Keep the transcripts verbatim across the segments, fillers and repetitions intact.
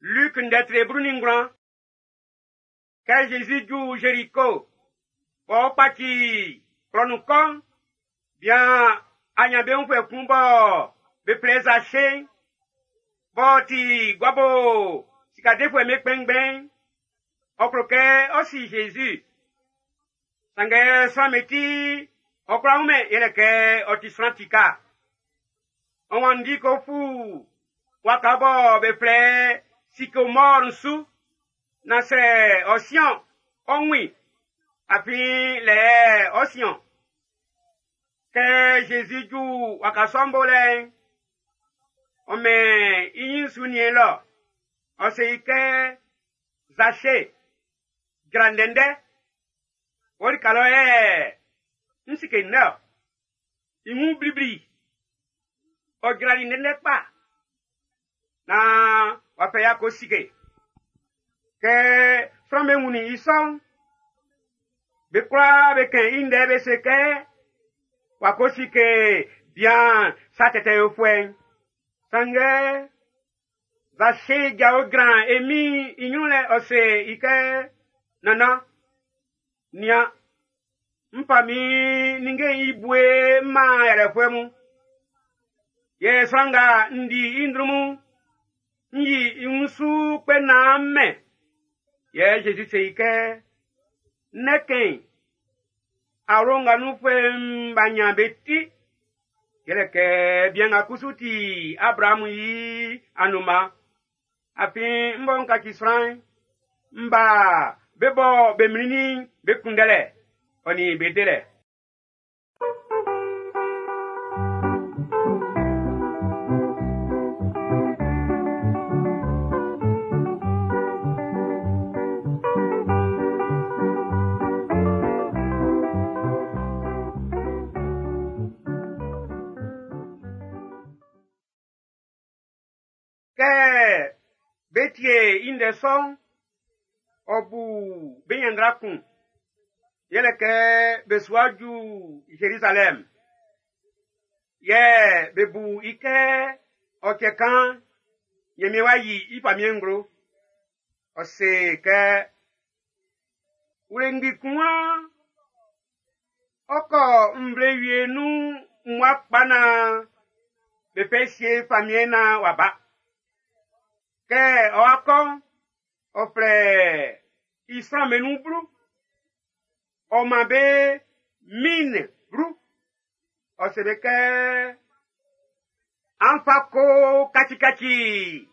Luc ndɛtre blu nin ngwlan. Kɛ Jésus ju Jéricho, b'ɔ kpaci klɔ nun kɔ'n, bian anyanbeunfuɛ kun bɔ be flɛ Zache, b'ɔ ti guabo sikadefuɛ'm be kpɛnngbɛn'n, ɔ klo kɛ ɔ si Jésus. Sanngɛ sran'm be ti, ɔ kwla wunmɛn yɛlɛ kɛ ɔ ti sran tika. Ɔ wanndi ko fu waka bɔ be flɛ sycomore su, na sɛ ɔ siɔn, ɔ wun i, afin lɛ ɔ siɔn. Kɛ Jésus ju waka sɔ'n bo lɛ'n, ɔ mɛn i nyin su nien lɔ, ɔ se i kɛ, Zache, jra ndɛndɛ, wɔ lika lɔ yɛ n sike ndɛ ɔ. I wun blibli, ɔ jrali ndɛndɛ kpa, naan w'a fɛ ya ko sike. Kɛ sran'm be wunnin i sɔ'n, be kwlaa be kɛn i ndɛ be se kɛ, w'a ko sike bian sa tɛtɛ yofuɛ'n. Sanngɛ, Zache jao jran e Min'n i ɲrun lɛ ɔ se i kɛ, Nannan, nian, n fa min ninnge'n i bue n man yalɛfuɛ mun. Yɛ sran nga n di i ndrunmun'n, n yi i wun su kpɛ naan m mɛn. Yɛ Jésus se i kɛ, Ndɛkɛn, awlo nga nunfuɛ'm b'a nyan be ti. Yɛlɛ kɛ bian nga kusu ti Abraamu i anunman. Afin n bɔ n kaci sran'n, n ba be bɔ be mlinnin'n be kunndɛlɛ, ɔ nin be delɛ. Kɛ be tie i ndɛ sɔ'n, ɔ bu be ɲanndra kun. Yɛlɛ kɛ be su wa ju Zerizalɛm. Yɛ be bu i kɛ ɔ cɛ kan Ɲanmiɛn w'a yi i famiɛn'n nglo. Ɔ se kɛ, wlengbi kun wan ɔ kɔ nvle wie nun mmua kpa naan be fɛ sie famiɛn naan w'a ba. Kɛ ɔ wa kɔ'n, ɔ flɛ i sran'm be nun blu. Ɔ man be min blu. Ɔ se be kɛ, an fa ko kacikaci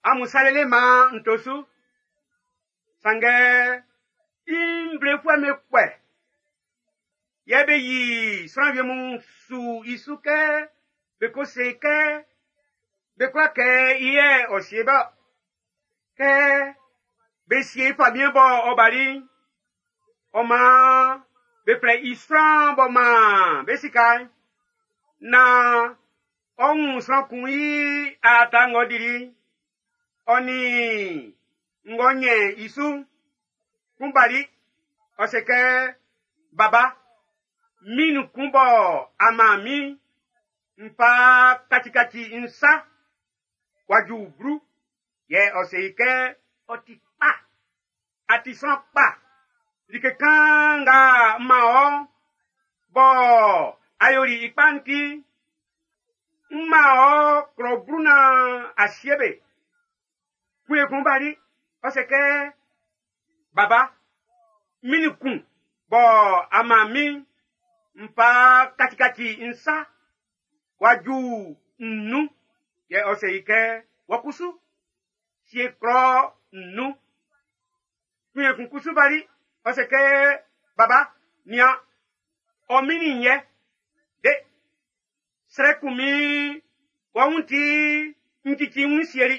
amun sa lele man n to su. Sanngɛ i nvlefuɛ'm be kpɛ. Yɛ be yi sran wie mun su i su kɛ be ko se kɛ be kwla kɛ i yɛ ɔ sie bɔ. Kɛ be sie famiɛn bɔ ɔ bali'n, ɔ maan be flɛ i sran b'ɔ maan be sika'n, naan ɔ wun sran kun i aata ng'ɔ dili'n, ɔ nin ng'ɔ ɲɛn i su'n. Kun bali, ɔ se kɛ, Baba, min kun bɔ a man min, n fa kacikaci n sa, w'a ju blu. Yɛ ɔ se i kɛ, ɔ ti kpa, a ti sran kpa. Like kan nga m man ɔ, bɔ a yoli i kpa'n ti, n man ɔ klɔ blu naan a sie be. Kun ekun bali, ɔ se kɛ, Baba, min kun bɔ a man min, n fa kacikaci n sa, w'a ju nnun. Yɛ ɔ se i kɛ, wɔ kusu, sie klɔ nnun. Kun ekun kusu bali, ɔ se kɛ, Baba, nian, ɔ min'n yɛ, de, srɛ kun min, wɔ wun ti n cici n sieli.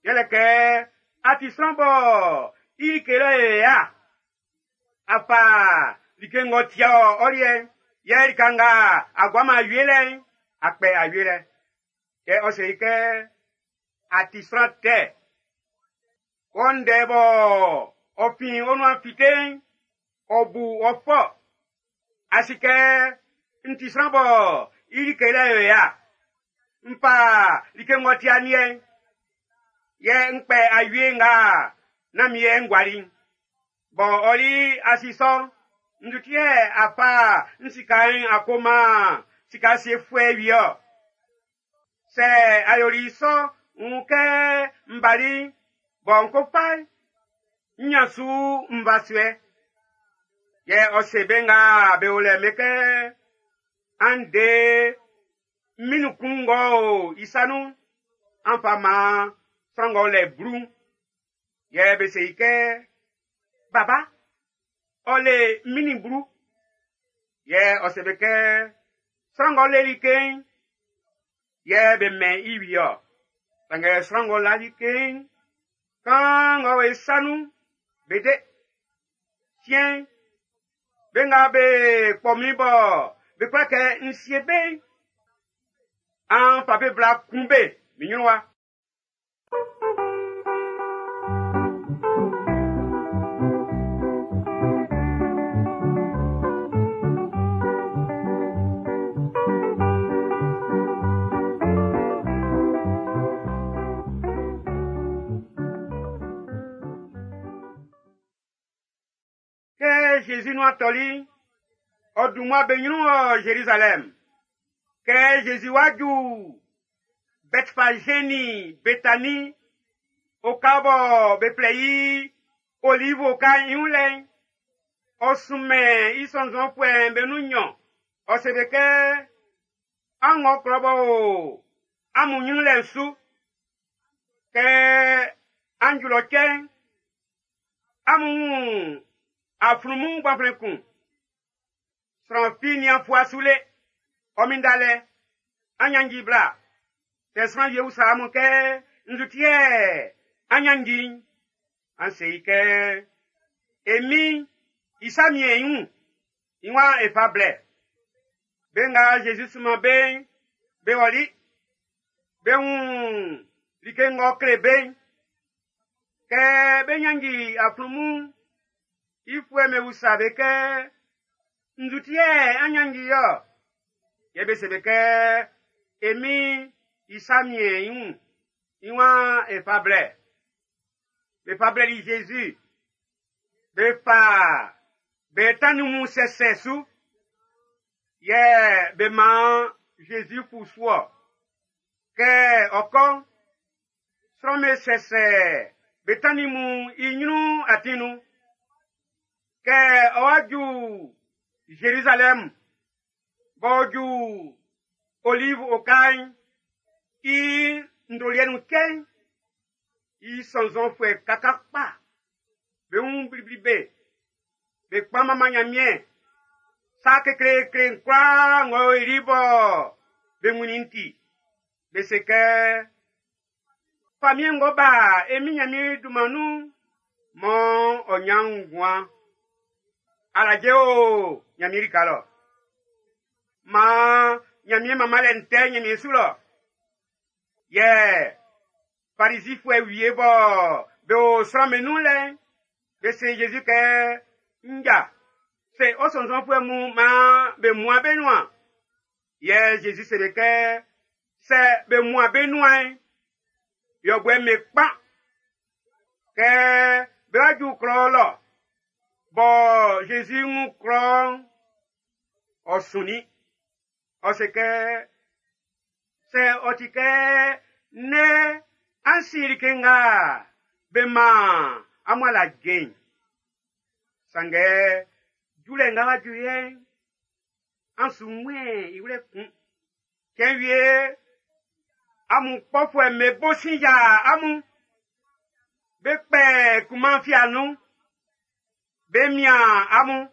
Yɛlɛ kɛ a ti sran bɔ i like lɔ yɛ ya. A fa like ng'ɔ tia ɔ ɔliɛ'n, yɛ lika nga a guaman awie lɛ'n, a kpɛ awie lɛ. Yɛ ɔ se i kɛ, a ti sran tɛ. Wɔ ndɛ bɔ ɔ fin ɔ nuan fite'n, ɔ bu ɔ fɔ. A si kɛ n ti sran bɔ i like lɛ yo ya. N fa like ng'ɔ ti aniɛ'n. Yɛ n kpɛ awie nga nán min yɛ n guali'n. Bɔ ɔli asisɔ, nduti yɛ a fa n sika'n a ko man sika siefuɛ wie-ɔ. Sɛ a yoli sɔ, n wun kɛ n bali, bɔ n ko fa, n nyan su nvasuɛ. Yɛ ɔ se be nga be o lɛ be kɛ, an de min kun ng'ɔ o i sa nun'n, an fa man sran ng'ɔ lɛ blu'n. Yɛ be se i kɛ, Baba, ɔ le min blu. Yɛ ɔ se be kɛ, sran ng'ɔ le like'n, yɛ be mɛn i wie-ɔ. Sanngɛ sran ng'ɔ la like'n, kan ng'ɔ o i sa nun'n, be de. Siɛn'n, be nga be kpɔ min bɔ be kwla kɛ n sie be'n, an fa be bla kun be min ɲrun wa. Kɛ Jésus nu atɔli, ɔ dun mmua be ɲrun wɔ Jérusalem. Kɛ Jésus wá ju Bethphagé ni Bethanie, oka bɔ be flɛ i Olive oka'n i wun lɛ'n, ɔ sunmɛn i sɔnnzɔnfuɛ'm be nun nnyɔn. Ɔ se be kɛ, an wɔ klɔ b'ɔ o amun ɲrun lɛ'n su. Kɛ an ju lɔ cɛ'n, amun wun aflunmun gbanflɛn kun. Sran fi nian fua su le. Ɔ min dalɛ, an nyanji bla. Sɛ sran wie usa amun kɛ, nzu ti yɛ an nyanji'n? An se i kɛ, e min, i sa miɛn i wun, i waan e fa blɛ. Be nga Jésus sunman be'n, be ɔli. Be wun like ng'ɔ kle be'n. Kɛ be nyanji aflunmun'n, i fuɛ me usa be kɛ, nzu ti yɛ an nyanji yɔ? Yɛ be se be kɛ, e min, i sa miɛn i wun, i waan e fa blɛ. Be fa blɛli Jésus. Be fa be tannin mun sɛsɛ su. Yɛ be man Jésus fu su-ɔ. Kɛ ɔ kɔ, sran me sɛsɛ be tannin mun i ɲrun atin nun. Kɛ ɔ wa ju Jérusalem, b'ɔ ju Olive oka'n i ndoliɛ nun cɛ'n, i sɔnnzɔnfuɛ kaka kpa, be wun blibli be, be kpan manman Nyanmiɛn. Sa kekleekle kwlaa ng'ɔ o i bɔ be wunnin ti, be se kɛ, famiɛn ng'ɔ ba e min Nyanmiɛn dunman nun'n, mɔ ɔ nyan nguan. Alaje o Nyanmiɛn lika lɔ. Maan Nyanmiɛn manmanlɛ'n tɛ Nyanmiɛn su lɔ. Yɛ Farisifuɛ wie bɔ be o sran'm be nun lɛ'n, be se Jésus kɛ, nja, se ɔ sɔnnzɔnfuɛ mun maan be mua be nuan. Yɛ Jésus se be kɛ, sɛ be mua be nuan'n, yɔbuɛ me kpa. Kɛ be wa ju klɔ lɔ, bɔ Jésus ŋun klɔ'n, ɔ sunnin. Ɔ se kɛ, sɛ ɔ ti kɛ nɛ an si like nga be man amun alaje'n. Sanngɛ julɛ nga wa ju yɛ'n, an su wɛn i wlɛ kun. Cɛn wie amun kpɔfuɛ'm be bo sin ya amun. Be kpɛ kunman fia nun. Be mian amun.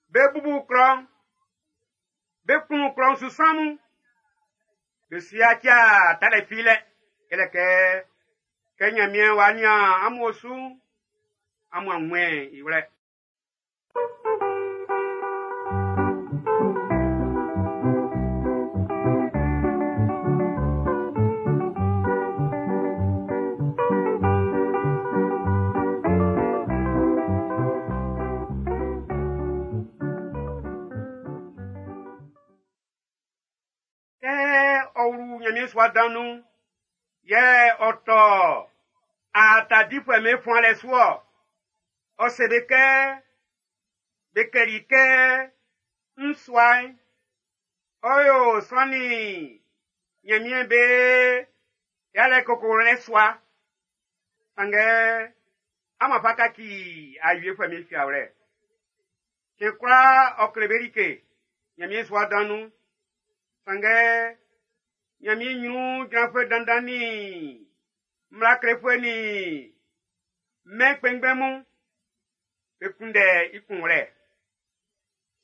Be bubu klɔ'n. Be kun klɔ'n su sran mun. Be su yacia talɛ filɛ. Yɛlɛ kɛ, kɛ Nyanmiɛn wa nian amun osu'n, amun awɛn i wlɛ. Kɛ ɔ wlu Nyanmiɛn sua dan nun'n, Yɛ ɔ tɔ aata difuɛ'm be fuanlɛ su-ɔ. Ɔ se be kɛ, be klɛli i kɛ, n sua'n, ɔ yo sran nin Ɲanmiɛn be yalɛ kokolɛ sua. Sanngɛ amun a fa kaci awiefuɛ'm be fiawlɛ. Cɛn kwlaa ɔ kle be like Ɲanmiɛn sua dan nun. Sanngɛ Ɲanmiɛn ɲrun jranfuɛ dandan nin mmla klefuɛ nin mɛn kpɛnngbɛn mun, be kunndɛ i kunwlɛ.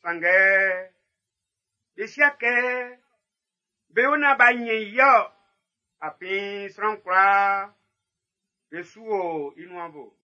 Sanngɛ be sia kɛ be yo naan b'a ɲɛn i ɔ, afin sran kwlaa be su o i nuan bo.